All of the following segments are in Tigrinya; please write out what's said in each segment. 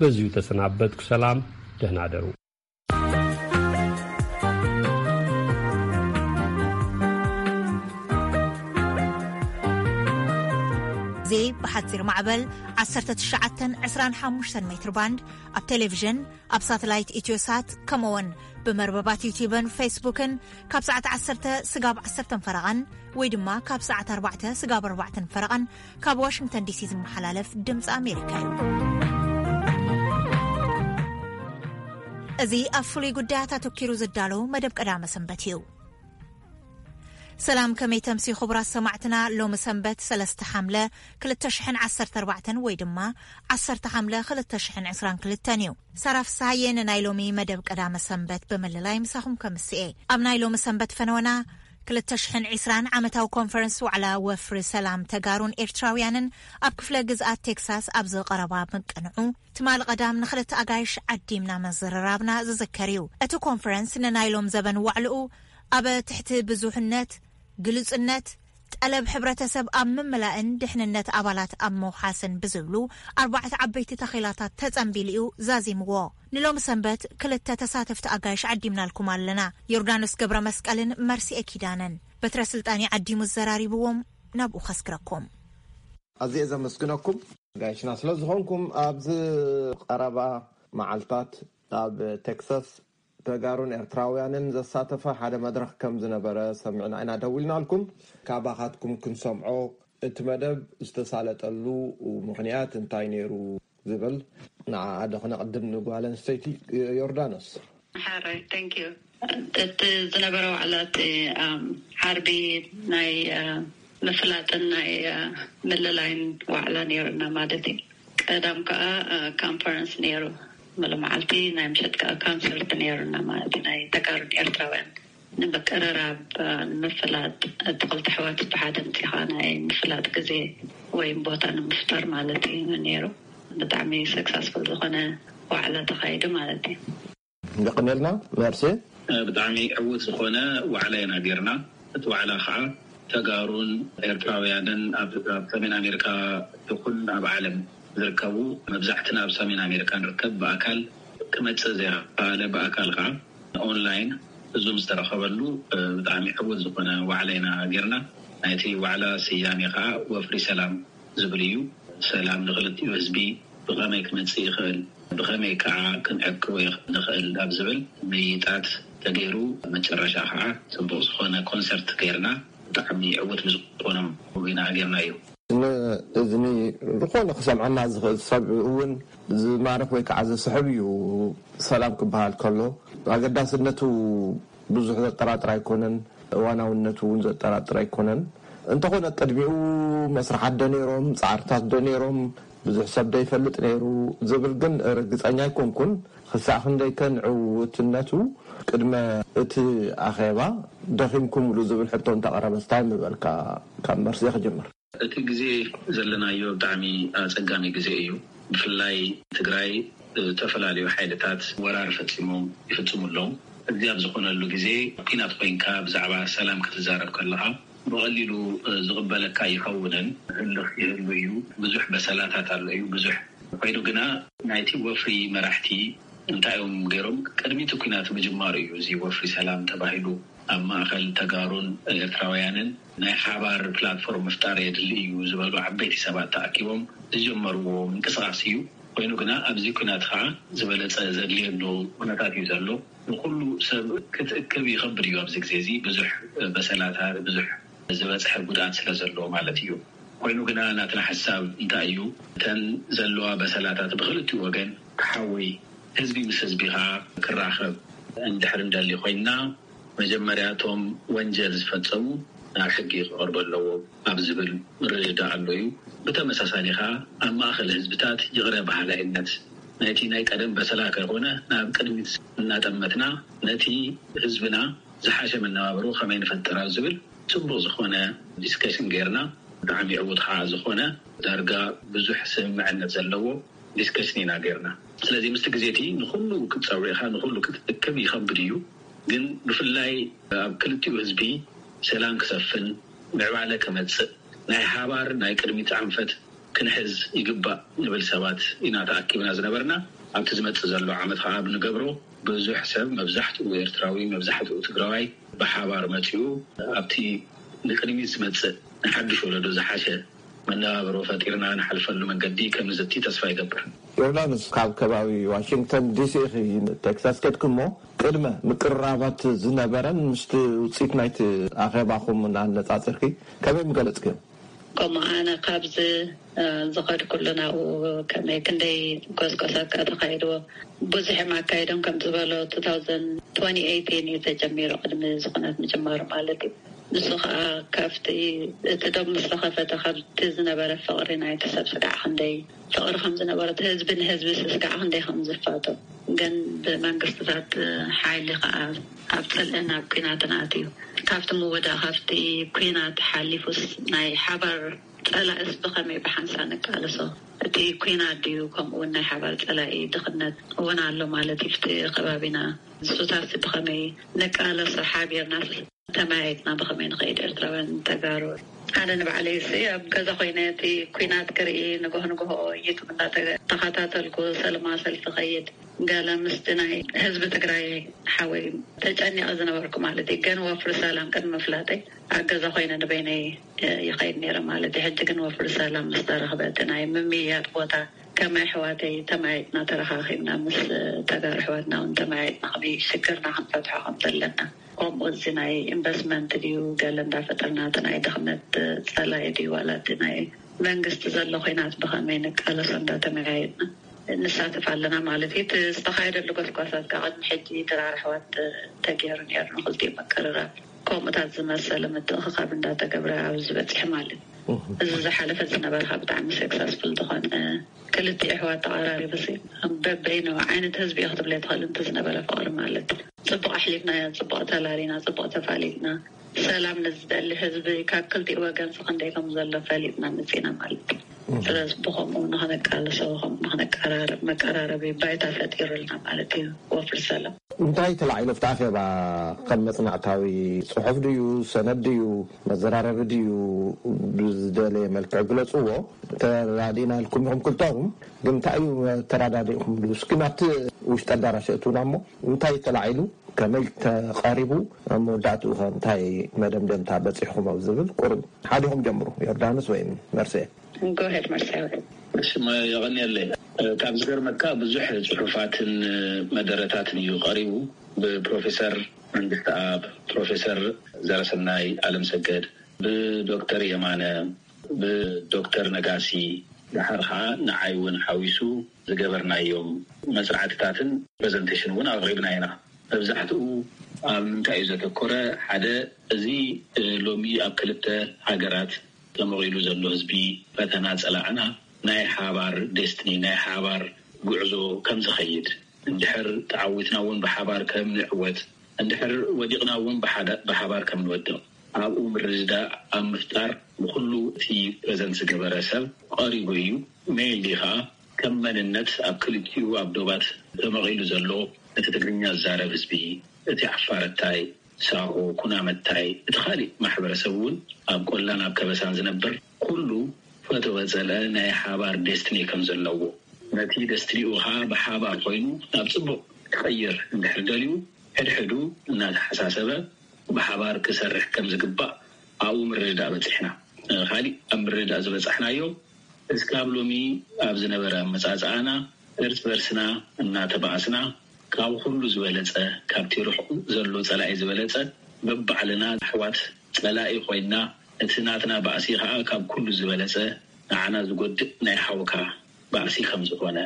በዚሁ ተሰናበትኩ። ሰላም፣ ደህና ደሩ። እዚ ብሓጺር ማዕበል ዓሰርተ ትሽዓተን ዕስራን ሓሙሽተን ሜትር ባንድ ኣብ ቴሌቪዥን፣ ኣብ ሳተላይት ኢትዮሳት፣ ከምኡውን ብመርበባት ዩቲዩብን ፌስቡክን ካብ ሰዓት ዓሰርተ ስጋብ ዓሰርተን ፈረቓን ወይ ድማ ካብ ሰዓት ኣርባዕተ ስጋብ ኣርባዕተን ፈረቓን ካብ ዋሽንግተን ዲሲ ዝመሓላለፍ ድምፂ ኣሜሪካ እዩ። እዚ ኣብ ፍሉይ ጉዳያት ኣተኪሩ ዝዳሎ መደብ ቀዳመ ሰንበት እዩ። ሰላም፣ ከመይ ተምሲ ክቡራት ሰማዕትና? ሎሚ ሰንበት ሰለስተ ሓምለ ክልተ ሽሕን ዓሰርተ ኣርባዕተን ወይ ድማ ዓሰርተ ሓምለ ክልተ ሽሕን ዕስራን ክልተን እዩ። ሳራ ፍስሃየ ንናይ ሎሚ መደብ ቀዳመ ሰንበት ብምልላይ ምሳኹም ከምስኤ። ኣብ ናይ ሎሚ ሰንበት ፈነወና ክልተ ሽሕን ዕስራን ዓመታዊ ኮንፈረንስ ዋዕላ ወፍሪ ሰላም ተጋሩን ኤርትራውያንን ኣብ ክፍለ ግዝኣት ቴክሳስ ኣብ ዝቐረባ ምቅንዑ ትማሊ ቀዳም ንኽልተ ኣጋይሽ ዓዲምና መዘረራብና ዝዝከር እዩ። እቲ ኮንፈረንስ ንናይ ሎም ዘበን ዋዕልኡ ኣብ ትሕቲ ብዙሕነት፣ ግሉጽነት፣ ጠለብ ሕብረተሰብ ኣብ ምምላእን ድሕንነት ኣባላት ኣብ ምውሓስን ብዝብሉ ኣርባዕተ ዓበይቲ ተኺላታት ተጸንቢሉ እዩ ዛዚምዎ። ንሎም ሰንበት ክልተ ተሳተፍቲ ኣጋይሽ ዓዲምናልኩም ኣለና። ዮርዳኖስ ገብረ መስቀልን መርሲኤ ኪዳነን። በትረ ስልጣን ዓዲሙ ዘራሪብዎም፣ ናብኡ ከስግረኩም። ኣዝየ ዘመስግነኩም ጋይሽና ስለ ዝኾንኩም። ኣብዚ ቀረባ መዓልታት ኣብ ቴክሳስ ተጋሩን ኤርትራውያንን ዘሳተፈ ሓደ መድረኽ ከም ዝነበረ ሰሚዕና ኢና ደዊልናልኩም። ካባኻትኩም ክንሰምዖ፣ እቲ መደብ ዝተሳለጠሉ ምኽንያት እንታይ ነይሩ ዝብል ንዓኣ ዶ ክነቕድም ንጓል ኣንስተይቲ ዮርዳኖስ? ሓራይ፣ thank you። እቲ ዝነበረ ዋዕላ እቲ፣ ኣም፣ ዓርቢ ናይ፣ አ፣ ምፍላጥን ናይ፣ አ፣ ምልላይን ዋዕላ ነይሩና ማለት እዩ። ቀዳም ከዓ፣ አ፣ ኮንፈረንስ ነይሩ። ሙሉ መዓልቲ፣ ናይ ምሸት ከዓ ኮንሰርት ነይሩና ማለት እዩ። ናይ ተጋሩን ኤርትራውያን ንምቅርራብ፣ አ፣ ንምፍላጥ፣ እቲ ክልተ ኣሕዋት ብሓደ ምፂኻ ናይ ምፍላጥ ግዜ ወይም ቦታ ንምፍጣር ማለት እዩ ነይሩ። ብጣዕሚ ሰክሰስፉል ዝኾነ ዋዕላ ተኻይዱ ማለት እዩ። የቐንየልና መርሲ። ብጣዕሚ ዕዉት ዝኾነ ዋዕላ ኢና ጌርና። እቲ ዋዕላ ከዓ ተጋሩን ኤርትራውያንን ኣብ፣ ኣብ ሰሜን ኣሜሪካ ይኹን ኣብ ዓለም ዝርከቡ፣ መብዛሕትና ኣብ ሰሜን ኣሜሪካ ንርከብ፣ ብኣካል ክመጽእ ዘይከኣለ ብኣካል ከዓ ኦንላይን ህዝቢ ዝተረኸበሉ ብጣዕሚ ዕዉት ዝኾነ ዋዕላ ኢና ጌርና። ናይቲ ዋዕላ ስያሜ ከዓ ወፍሪ ሰላም ዝብል እዩ። ሰላም ንኽልቲኡ ህዝቢ ብኸመይ ክመጽእ ይኽእል፣ ብኸመይ ከዓ ክንዕቅቦ ይኽ-፣ ንኽእል ኣብ ዝብል ምይይጣት ተገይሩ፣ መጨረሻ ከዓ ጽቡቕ ዝኾነ ኮንሰርት ገይርና፣ ብጣዕሚ ዕዉት ብዝኾነ ኢና ጌርናዮ። ንእዝኒ ዝኾነ ክሰምዐና ዝኽእል ሰብ እውን ዝማርኽ ወይ ከዓ ዘስሕብ እዩ። ሰላም ክበሃል ከሎ ኣገዳስነቱ ብዙሕ ዘጠራጥር ኣይኮነን፣ እዋናውነቱ እውን ዘጠራጥር ኣይኮነን። እንተኾነ ቅድሚኡ መስርሓት ዶ ነይሮም፣ ጻዕርታት ዶ ነይሮም፣ ብዙሕ ሰብ ዶ ይፈልጥ ነይሩ ዝብል ግን ርግጸኛ ኣይኮንኩን። ክሳዕ ክንደይ ከ ንዕውትነቱ ቅድመ እቲ ኣኼባ ደኺምኩምሉ ዝብል ሕቶ እንተቐረበስ እንታይ ምበልካ? ካብ መርሲ ክጅምር። እቲ ግዜ ዘለናዮ ብጣዕሚ ኣጸጋሚ ግዜ እዩ። ብፍላይ ትግራይ ዝተፈላለዩ ሓይልታት ወራር ፈጺሞም ይፍጽሙ ኣለዉ። እዚ ኣብ ዝኾነሉ ግዜ ኲናት ኮይንካ ብዛዕባ ሰላም ክትዛረብ ከለኻ ብቐሊሉ ዝቕበለካ ይኸውንን። ህልኽ ይህሉ እዩ። ብዙሕ በሰላታት ኣሎ እዩ። ብዙሕ ኮይኑ ግና ናይቲ ወፍሪ መራሕቲ እንታይ እዮም ገይሮም? ቅድሚ እቲ ኲናት ምጅማሩ እዩ እዚ ወፍሪ ሰላም ተባሂሉ ኣብ ማእኸል ተጋሩን ኤርትራውያንን ናይ ሓባር ፕላትፎርም ምፍጣር የድሊ እዩ ዝበሉ ዓበይቲ ሰባት ተኣኪቦም ዝጀመርዎ ምንቅስቓስ እዩ። ኮይኑ ግና ኣብዚ ኲናት ከዓ ዝበለፀ ዘድልየሉ ኩነታት እዩ ዘሎ። ንኩሉ ሰብ ክትእክብ ይኸብድ እዩ። ኣብዚ ግዜ እዚ ብዙሕ በሰላታት፣ ብዙሕ ዝበፅሐ ጉድኣት ስለ ዘሎ ማለት እዩ። ኮይኑ ግና ናትና ሓሳብ እንታይ እዩ? እተን ዘለዋ በሰላታት ብክልቲኡ ወገን ክሓዊ፣ ህዝቢ ምስ ህዝቢ ከዓ ክራኸብ እንድሕር እንደሊ ኮይንና፣ መጀመርያ እቶም ወንጀል ዝፈጸሙ ናብ ሕጊ ክቐርቡ ኣለዎም ኣብ ዝብል ምርድዳእ ኣሎ እዩ። ብተመሳሳሊ ኸኣ ኣብ ማእከል ህዝብታት ይቕረ በሃላይነት ናይቲ ናይ ቀደም በሰላ ከይኮነ ናብ ቅድሚት እናጠመትና ነቲ ህዝብና ዝሓሸ መነባብሮ ከመይ ንፈጥር ኣብ ዝብል ጽቡቕ ዝኾነ ዲስከሽን ጌርና ብጣዕሚ ዕዉት ኸዓ ዝኾነ ዳርጋ ብዙሕ ስምምዕነት ዘለዎ ዲስከሽን ኢና ጌርና። ስለዚ ምስቲ ግዜ እቲ ንኹሉ ክትጸውዕ ኢኻ፣ ንኹሉ ክትእክብ ይኸብድ እዩ። ግን ብፍላይ ኣብ ክልቲኡ ህዝቢ ሰላም ክሰፍን ምዕባለ ክመጽእ ናይ ሓባር ናይ ቅድሚት ኣንፈት ክንሕዝ ይግባእ ንብል ሰባት ኢና ተኣኪብና ዝነበርና። ኣብቲ ዝመጽእ ዘሎ ዓመት ከዓ ብንገብሮ ብዙሕ ሰብ፣ መብዛሕትኡ ኤርትራዊ፣ መብዛሕትኡ ትግራዋይ ብሓባር መጺኡ ኣብቲ ንቅድሚት ዝመጽእ ንሓድሽ ወለዶ ዝሓሸ መነባብሮ ፈጢርና ንሓልፈሉ መንገዲ ከም ንዘቲ ተስፋ ይገብር። ዮርዳኖስ፣ ካብ ከባቢ ዋሽንግተን ዲሲ ኢኺ ቴክሳስ ከድክሞ፣ ቅድመ ምቅርራባት ዝነበረን ምስቲ ውፅኢት ናይቲ ኣኼባኹም እናነፃፅርኪ ከመይ ምገለፅክዮ? ከምኡ ኣነ ካብዚ ዝኸድኩሉ ናብኡ ከመይ ክንደይ ጎስጎሳት ከኣ ተኻይድዎ ብዙሕ እዮም ኣካይዶም። ከም ዝበሎ two thousand twenty eighteen እዩ ተጀሚሩ፣ ቅድሚ ዝኹነት ምጅማሩ ማለት እዩ። ንሱ ከዓ ካብቲ እቲ ዶብ ምስ ተኸፈተ ካብቲ ዝነበረ ፍቕሪ ናይቲ ሰብ ስጋዕ ክንደይ ፍቕሪ ከም ዝነበረ፣ እቲ ህዝቢ ንህዝቢ ስጋዕ ክንደይ ከም ዝፋቶ፣ ግን ብመንግስትታት ሓይሊ ከዓ ኣብ ፅልእን ኣብ ኲናትን ኣትዩ። ካብቲ ምውዳእ ካብቲ ኲናት ሓሊፉስ ናይ ሓባር ፀላእስ ብኸመይ ብሓንሳ ንቃለሶ? እቲ ኲናት ድዩ ከምኡ እውን ናይ ሓባር ፀላኢ ድኽነት እውን ኣሎ ማለት እዩ ኣብቲ ከባቢና? ንሱታሲ ብኸመይ ንቃለሶ ሓቢርና ተመያይጥና ብኸመይ ንኸይድ ኤርትራውያን ተጋሩ? ኣነ ንባዕለይ ሲ ኣብ ገዛ ኮይነ እቲ ኲናት ክርኢ ንጎሆ ንጎሆ ዩቱብ እንዳተኸታተልኩ ሰለማ ሰልፊ ኸይድ ገለ ምስቲ ናይ ህዝቢ ትግራይ ሓወይ ተጨኒቐ ዝነበርኩ ማለት እዩ። ግን ወፍሪ ሰላም ቅድሚ ምፍላጠይ ኣብ ገዛ ኮይነ ንበይነይ ይኸይድ ነይረ ማለት እዩ። ሕጂ ግን ወፍሪ ሰላም ምስ ተረኽበ እቲ ናይ ምምይያጥ ቦታ ከም ኣሕዋተይ ተመያይጥና ተረኻኺብና ምስ ተጋሩ ኣሕዋትና እውን ተመያይጥና ከመይ ሽግርና ክንፈትሖ ከም ዘለና፣ ከምኡ እዚ ናይ ኢንቨስትመንት ድዩ ገለ እንዳፈጠርና እቲ ናይ ድኽነት ፀላኢ ድዩ ዋላ እቲ ናይ መንግስቲ ዘሎ ኮይናት ብኸመይ ንቃለሶ እንዳተመያየጥና ንሳተፍ ኣለና ማለት እዩ። እቲ ዝተኻየደሉ ጎስጓሳት ካብ ቅድሚ ሕጂ ድራር ኣሕዋት ተገይሩ ነይሩ ንክልቲኡ ምቅርራብ ከምኡታት ዝመሰለ ምትእኽኻብ እንዳተገብረ ኣብዚ በፂሑ ማለት እዩ። እዚ ዝሓለፈ ዝነበረ ከዓ ብጣዕሚ ሰክሰስፉል ዝኾነ ክልቲኡ ኣሕዋት ተቐራሪቡ ሲ በበይኑ ዓይነት ህዝቢ እዩ ክትብለ ትኽእል። እንተ ዝነበረ ፍቕሪ ማለት እዩ። ፅቡቕ ኣሕሊፍናዮ፣ ፅቡቕ ተላሊና፣ ፅቡቕ ተፋሊጥና። ሰላም ንዝደሊ ህዝቢ ካብ ክልቲኡ ወገን ሲ ክንደይ ከም ዘሎ ፈሊጥና መፂና ማለት እዩ። ስለዚ ብኸምኡ ንክንቃለሶ ከምኡ ንክንቀራረብ መቀራረቢ ባይታ ፈጢሩልና ማለት እዩ። ወፍሪ ሰላም እንታይ ተላዒሉ ኣብቲ ኣኼባ? ከም መጽናዕታዊ ጽሑፍ ድዩ፣ ሰነድ ድዩ፣ መዘራረቢ ድዩ፣ ብዝደለየ መልክዕ ግለጽዎ። ተራዲእና ኢልኩም ኢኹም ክልተኹም፣ ግን እንታይ እዩ ተራዳዲእኩምሉ? እስኪ ናብቲ ውሽጢ ኣዳራሽ እትውና እሞ እንታይ ተላዒሉ፣ ከመይ ተቐሪቡ፣ ኣብ መወዳእትኡ ኸ እንታይ መደምደምታ በጺሕኩም ኣብ ዝብል ቁሩብ ሓዲኹም ጀምሩ። ዮርዳኖስ ወይ መርሴ? ጎሄድ መርሳዊ። እሺ፣ መ-፣ የቐንየለይ። እ፣ ካብ ዝገርመካ ብዙሕ ጽሑፋትን፣ እ፣ መደረታትን እዩ ቀሪቡ። ብፕሮፌሰር መንግስትኣብ፣ ፕሮፌሰር ዘረሰናይ ኣለምሰገድ፣ ብዶክተር የማነ፣ ብዶክተር ነጋሲ፣ ደሓር ኸዓ ንዓይ እውን ሓዊሱ ዝገበርናዮም መጽናዕትታትን ፕሬዘንቴሽን እውን ኣቕሪብና ኢና። መብዛሕትኡ ኣብ ምንታይ እዩ ዘተኮረ? ሓደ፣ እዚ፣ እ፣ ሎሚ ኣብ ክልተ ሃገራት ተመቒሉ ዘሎ ህዝቢ ፈተና ጸላእና ናይ ሓባር ዴስትኒ፣ ናይ ሓባር ጉዕዞ ከም ዝኸይድ፣ እንድሕር ተዓዊትና እውን ብሓባር ከም ንዕወት፣ እንድሕር ወዲቕና እውን ብሓዳ-፣ ብሓባር ከም ንወድቕ፣ ኣብኡ ምርድዳእ ኣብ ምፍጣር ንኹሉ እቲ ፕሬዘንት ዝገበረ ሰብ ቀሪቡ እዩ። ሜይንሊ ኸዓ ከም መንነት ኣብ ክልቲኡ ኣብ ዶባት ተመቒሉ ዘሎ እቲ ትግርኛ ዝዛረብ ህዝቢ፣ እቲ ዓፋረታይ፣ ሳሆ፣ ኩናመታይ፣ እቲ ካሊእ ማሕበረሰብ እውን ኣብ ቆላን ኣብ ከበሳን ዝነብር ኩሉ ፈተወ ጸልአ ናይ ሓባር ዴስትኒ ከም ዘለዎ፣ ነቲ ደስትኒኡ ኸዓ ብሓባር ኮይኑ ናብ ጽቡቕ ክቐይር እንድሕር ደልዩ፣ ሕድሕዱ እናተሓሳሰበ ብሓባር ክሰርሕ ከም ዝግባእ ኣብኡ ምርድዳእ በጺሕና። እ፣ ካሊእ ኣብ ምርድዳእ ዝበጻሕናዮ፣ እስካብ ሎሚ ኣብ ዝነበረ ኣመጻጽኣና እርስ በርስና እናተባኣስና፣ ካብ ኩሉ ዝበለጸ፣ ካብቲ ርሑቕ ዘሎ ጸላኢ ዝበለጸ፣ በባዕልና ኣሕዋት ጸላኢ ኮይንና፣ እቲ ናትና ባእሲ ኸኣ ካብ ኩሉ ዝበለጸ ንዓና ዝጎድእ ናይ ሓውካ ባእሲ ከም ዝኾነ፣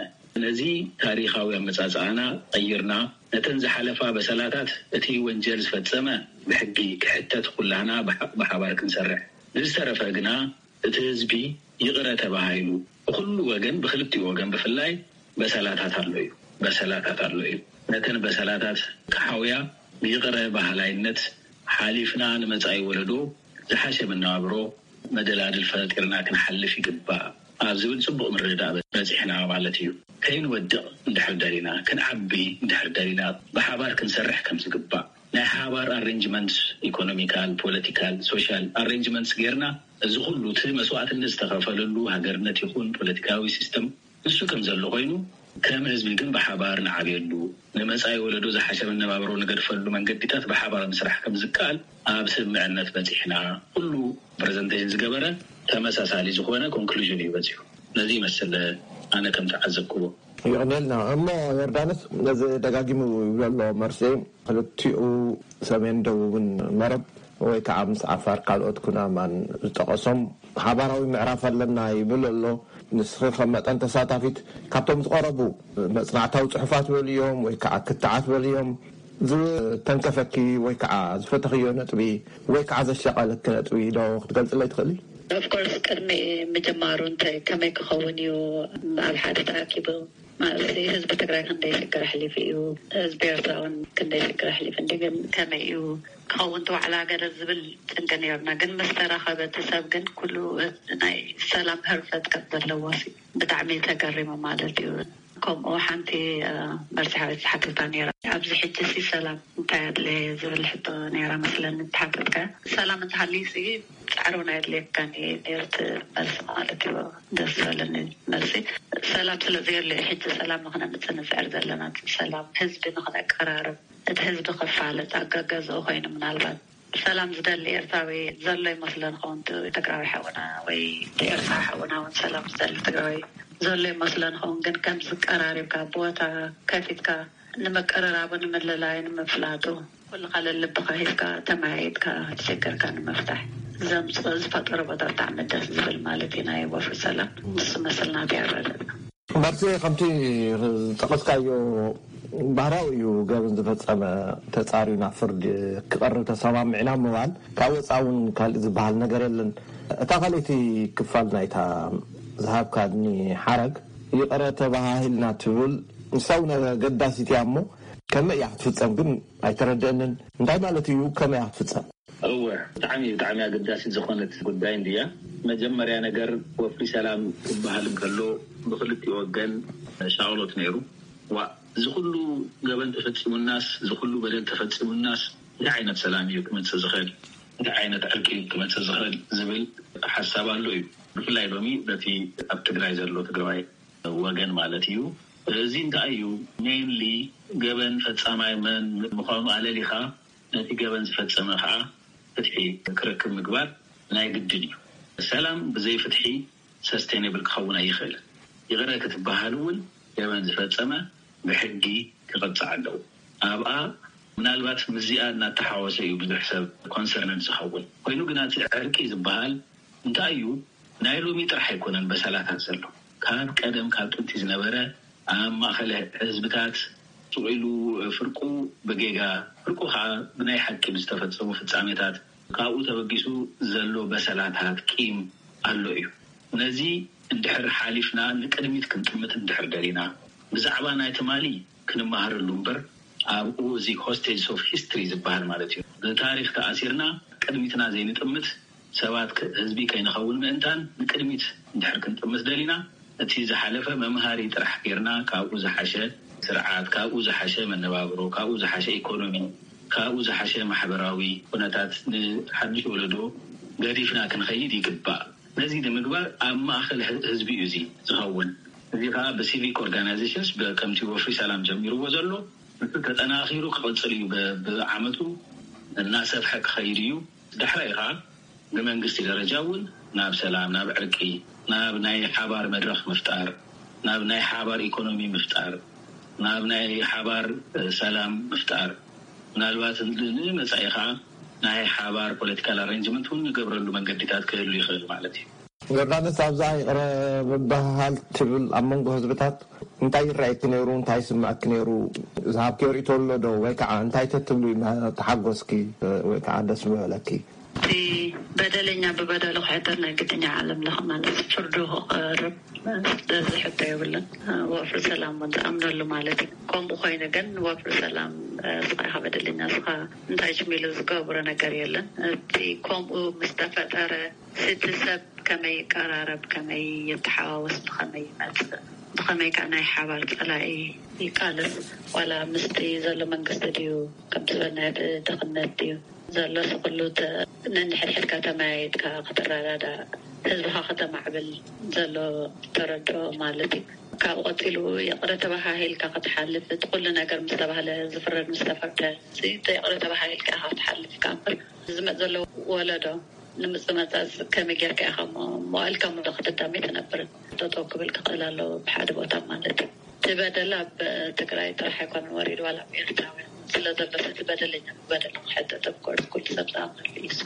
ነዚ ታሪኻዊ ኣመጻጽኣና ቀይርና፣ ነተን ዝሓለፋ በሰላታት እቲ ወንጀል ዝፈጸመ ብሕጊ ክሕተት፣ ኩላህና ብሓ-፣ ብሓባር ክንሰርሕ፣ ንዝተረፈ ግና እቲ ህዝቢ ይቕረ ተባሂሉ ብኹሉ ወገን፣ ብኽልቲኡ ወገን ብፍላይ በሰላታት ኣሎ እዩ። በሰላታት ኣሎ እዩ። ነተን በሰላታት ክሓውያ ብይቕረ በሃላይነት ሓሊፍና ንመጻኢ ወለዶ ዝሓሸ መነባብሮ መደላድል ፈጢርና ክንሓልፍ ይግባእ ኣብ ዝብል ጽቡቕ ምርድዳእ በጺሕና ማለት እዩ። ከይንወድቕ እንድሕር ደሊና፣ ክንዓቢ እንድሕር ደሊና፣ ብሓባር ክንሰርሕ ከም ዝግባእ፣ ናይ ሓባር ኣሬንጅመንት፣ ኢኮኖሚካል፣ ፖለቲካል፣ ሶሻል ኣሬንጅመንትስ ጌርና እዚ ኩሉ እቲ መስዋእትነት ዝተኸፈለሉ ሃገርነት ይኹን ፖለቲካዊ ሲስተም ንሱ ከም ዘሎ ኮይኑ፣ ከም ህዝቢ ግን ብሓባር ንዓብየሉ፣ ንመጻኢ ወለዶ ዝሓሸ መነባብሮ ንገድፈሉ መንገዲታት ብሓባር ምስራሕ ከም ዝከኣል ኣብ ስምምዕነት በጺሕና። ኩሉ ፕረዘንቴሽን ዝገበረ ተመሳሳሊ ዝኾነ ኮንክሉዥን እዩ በጺሑ። ነዚ ይመስል ኣነ ከም ተዓዘብክዎ። ይቕንየልና እሞ፣ ዮርዳኖስ ነዚ ደጋጊሙ ይብሎ ኣሎ። መርሴ ክልቲኡ ሰሜን ደቡብን መረብ ወይ ከዓ ምስ ዓፋር ካልኦት ኩናማን ዝጠቐሶም ሓባራዊ ምዕራፍ ኣለና ይብል ኣሎ። ንስኺ ከም መጠን ተሳታፊት ካብቶም ዝቐረቡ መጽናዕታዊ ጽሑፋት በልዮም ወይ ከዓ ክትዓት በልዮም ዝተንከፈኪ ወይ ከዓ ዝፈተኽዮ ነጥቢ ወይ ከዓ ዘሻቐለኪ ነጥቢ ዶ ክትገልጽለይ ትኽእሊ? ኦፍኮርስ ቅድሚ ምጅማሩ እንታይ ከመይ ክኸውን እዩ ኣብ ሓደ ተኣኪቡ ማለት ህዝቢ ትግራይ ክንደይ ሽግር ኣሕሊፉ እዩ፣ ህዝቢ ኤርትራ እውን ክንደይ ሽግር ኣሕሊፉ እንዲ ግን ከመይ እዩ ክኸውን እቲ ዋዕላ ገለ ዝብል ጭንቂ ነይሩና። ግን ምስ ተራኸበ እቲ ሰብ ግን ኩሉ ናይ ሰላም ህርፈት ከም ዘለዎ ሲ ብጣዕሚ ተገሪሙ ማለት እዩ። ከምኡ ሓንቲ መርሲ ሓወይ ትሓተታ ነይራ። ኣብዚ ሕጂ ሲ ሰላም እንታይ ኣድለየ ዝብል ሕቶ ነይራ መስለኒ ትሓተትካ። ሰላም እንተሃልዩ ሲ ጻዕሪ እውን ኣየድልየካን እዩ ነይሩ እቲ መልሲ ማለት እዩ። ደስ ዝበለኒ መልሲ። ሰላም ስለ ዘየሎ እዩ ሕጂ ሰላም ንኽነምፅእ ንፅዕር ዘለና። ሰላም ህዝቢ ንኽነቀራርብ፣ እቲ ህዝቢ ክፋለጥ ኣጋጋዝኡ ኮይኑ ምናልባት ሰላም ዝደሊ ኤርትራዊ ዘሎ ይመስሎ ንኸውን፣ ትግራዊ ሓውና ወይ ኤርትራዊ ሓውና እውን ሰላም ዝደሊ ትግራዊ ዘሎ ይመስሎ ንኸውን። ግን ከም ዝቀራሪብካ ቦታ ከፊትካ ንምቅርራቡ፣ ንምልላዩ፣ ንምፍላጡ ኩልኻ ለልብኻ ሂዝካ ተመያይጥካ ችግርካ ንምፍታሕ ዘምፅእ ዝፈጠሮ ቦታ ብጣዕሚ ደስ ዝብል ማለት እዩ። ናይ ወፍሪ ሰላም ንሱ መስል ናተይ ኣረድእና። መርሲ ከምቲ ዝጠቐስካዮ ባህራዊ እዩ። ገበን ዝፈጸመ ተጻርዩ ናብ ፍርዲ ክቐርብ ተሰማሚዕና ምባል ካብ ወጻ እውን ካልእ ዝበሃል ነገር የለን። እታ ካልእቲ ክፋል ናይታ ዝሃብካኒ ሓረግ ይቕረ ተባሃሂልና ትብል ንሳ እውን ኣገዳሲት እያ እሞ ከመይ እያ ክትፍጸም ግን ኣይተረድአንን። እንታይ ማለት እዩ ከመይ እያ ክትፍጸም? እወ፣ ብጣዕሚ ብጣዕሚ ኣገዳሲት ዝኾነት ጉዳይ እንድያ። መጀመርያ ነገር ወፍሪ ሰላም ክበሃል እንከሎ ብክልቲኡ ወገን ሻቕሎት ነይሩ። ዋ፣ እዚ ኩሉ ገበን ተፈጺሙናስ፣ እዚ ኩሉ በደል ተፈጺሙናስ እንታይ ዓይነት ሰላም እዩ ክመጽእ ዝኽእል? እንታይ ዓይነት ዕርቂ እዩ ክመጽእ ዝኽእል ዝብል ሓሳብ ኣሎ እዩ። ብፍላይ ሎሚ በቲ ኣብ ትግራይ ዘሎ ትግራዋይ ወገን ማለት እዩ። እዚ እንታይ እዩ ሜይንሊ ገበን ፈጻማይ መን ምዃኑ ኣለሊኻ ነቲ ገበን ዝፈጸመ ከዓ ፍትሒ ክረክብ ምግባር ናይ ግድን እዩ። ሰላም ብዘይ ፍትሒ ሰስቴነብል ክኸውን ኣይኽእልን። ይቕረ ክትበሃል እውን ገበን ዝፈጸመ ብሕጊ ክቐጻዕ ኣለዎ። ኣብኣ ምናልባት ምስዚኣ እናተሓወሰ እዩ ብዙሕ ሰብ ኮንሰርነድ ዝኸውን ኮይኑ፣ ግና እቲ ዕርቂ ዝበሃል እንታይ እዩ ናይ ሎሚ ጥራሕ ኣይኮነን በሰላታት ዘሎ። ካብ ቀደም ካብ ጥንቲ ዝነበረ ኣብ ማእኸል ህዝብታት ስቕ ኢሉ ፍርቁ ብጌጋ ፍርቁ ከዓ ብናይ ሓቂ ብዝተፈፀሙ ፍፃሜታት ካብኡ ተበጊሱ ዘሎ በሰላታት ቂም ኣሎ እዩ። ነዚ እንድሕር ሓሊፍና ንቅድሚት ክንጥምት እንድሕር ደሊና ብዛዕባ ናይ ትማሊ ክንመሃረሉ እምበር ኣብኡ እዚ ሆስቴጅ ኦፍ ሂስትሪ ዝበሃል ማለት እዩ ብታሪክ ተኣሲርና ቅድሚትና ዘይንጥምት ሰባት ህዝቢ ከይንኸውን ምእንታን ንቅድሚት እንድሕር ክንጥምት ደሊና እቲ ዝሓለፈ መምሃሪ ጥራሕ ጌርና ካብኡ ዝሓሸ ስርዓት፣ ካብኡ ዝሓሸ መነባብሮ፣ ካብኡ ዝሓሸ ኢኮኖሚ፣ ካብኡ ዝሓሸ ማሕበራዊ ኩነታት ንሓድሽ ወለዶ ገዲፍና ክንኸይድ ይግባእ። ነዚ ንምግባር ኣብ ማእኸል ህዝቢ እዩ እዚ ዝኸውን። እዚ ከዓ ብሲቪክ ኦርጋናይዜሽንስ ከምቲ ወፍሪ ሰላም ጀሚርዎ ዘሎ ንሱ ተጠናኺሩ ክቕፅል እዩ። ብዓመቱ እናሰፍሐ ክኸይድ እዩ። ዳሕራይ ከዓ ብመንግስቲ ደረጃ እውን ናብ ሰላም፣ ናብ ዕርቂ፣ ናብ ናይ ሓባር መድረኽ ምፍጣር፣ ናብ ናይ ሓባር ኢኮኖሚ ምፍጣር፣ ናብ ናይ ሓባር ሰላም ምፍጣር፣ ምናልባት ንመፃኢ ከዓ ናይ ሓባር ፖለቲካል ኣሬንጅመንት እውን ንገብረሉ መንገዲታት ክህሉ ይኽእል ማለት እዩ። ዮርዳኖስ ኣብዛ ይቕረ ምብህሃል ትብል ኣብ መንጎ ህዝብታት እንታይ ይረኣየኪ ነይሩ? እንታይ ይስምዐኪ ነይሩ? ዝሃብኪ ርእቶ ኣሎ ዶ? ወይ ከዓ እንታይ ተትብሉ ተሓጎስኪ ወይ ከዓ ደስ ዝበለኪ? እቲ በደለኛ ብበደሉ ክሕተት ናይ ግድኛ ዓለም ለኸ ማለት ፍርዱ ክቐርብ ዝሕቶ የብሉን። ወፍሪ ሰላም እውን ዝኣምነሉ ማለት እዩ። ከምኡ ኮይኑ ግን ወፍሪ ሰላም ስኻ ኢኻ በደለኛ ስኻ እንታይ ችሚሉ ዝገብሮ ነገር የለን። እቲ ከምኡ ምስ ተፈጠረ እቲ ሰብ ከመይ ይቀራረብ፣ ከመይ ይተሓዋወስ፣ ብኸመይ ይመፅእ፣ ብኸመይ ከዓ ናይ ሓባር ፀላኢ ይቃለስ፣ ዋላ ምስቲ ዘሎ መንግስቲ ድዩ ከምቲ ዝበልናዮ ድኽነት ድዩ ዘሎ ኩሉ ተ- ነንሕድሕድካ ተመያየጥካ ክትረዳዳ፣ ህዝብኻ ከተማዕብል ዘሎ ተረድኦ ማለት እዩ። ካብኡ ቀፂሉ ይቕረ ተባሃሂልካ ክትሓልፍ፣ እቲ ኩሉ ነገር ምስ ተባህለ፣ ዝፍረድ ምስ ተፈርደ፣ እዚ ይቕረ ተባሃሂልካ ኢኻ ክትሓልፍ። ካብ ዝመፅ ዘሎ ወለዶ ንምፅእ መፃፅ ከመይ ጌርካ ኢኻ እሞ መዋእልካ ሙሉ ክትዳመይ ትነብር? ጠጠው ክብል ክኽእል ኣለዎ ብሓደ ቦታ ማለት እዩ። እቲ በደል ኣብ ትግራይ ጥራሕ ኣይኮነን ወሪዱ፣ ዋላ ኣብ ኤርትራውያን ስለ ዘሎ፣ እቲ በደለኛ በደል ክሕተት፣ of course፣ ኩሉ ሰብ ዝኣምነሉ እዩ እሱ።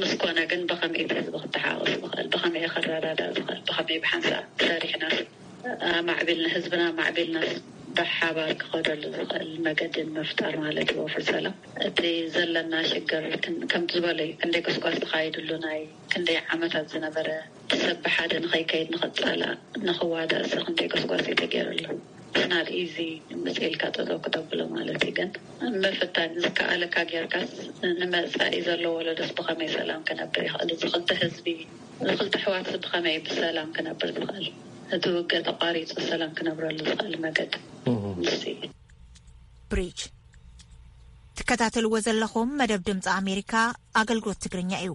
ምስ ኮነ ግን ብኸመይ እቲ ህዝቢ ክተሓዋወስ ዝኽእል፣ ብኸመይ ከረዳዳእ ዝኽእል፣ ብኸመይ ብሓንሳብ ሰሪሕና ኣማዕቢልና፣ ህዝብና ኣማዕቢልና ብሓባር ክኸደሉ ዝኽእል መገዲ ንምፍጣር ማለት እዩ። ወፍር ሰላም እቲ ዘለና ሽግር ክን- ከምቲ ዝበለ እዩ። ክንደይ ጎስጓስ ተኻይድሉ፣ ናይ ክንደይ ዓመታት ዝነበረ፣ ሰብ ብሓደ ንኸይከይድ፣ ንኸጻላእ፣ ንኽዋዳእ፣ እዚ ክንደይ ጎስጓስ እዩ ተገይሩሉ። ስናድ ኢዚ ምጽእ ኢልካ ጠጠው ክተብሎ ማለት እዩ። ግን ምፍታን ዝከኣለካ ጌርካስ ንመጻኢ ዘሎ ወለዶስ ብኸመይ ሰላም ክነብር ይኽእል? እዚ ክልተ ህዝቢ፣ እዚ ክልተ ኣሕዋትስ ብኸመይ ብሰላም ክነብር ዝኽእል? እቲ ውግእ ተቋሪጹ ሰላም ክነብረሉ ዝኽእል መገዲ ንሱ እዩ። ብሪጅ ትከታተልዎ ዘለኹም መደብ ድምፂ ኣሜሪካ ኣገልግሎት ትግርኛ እዩ።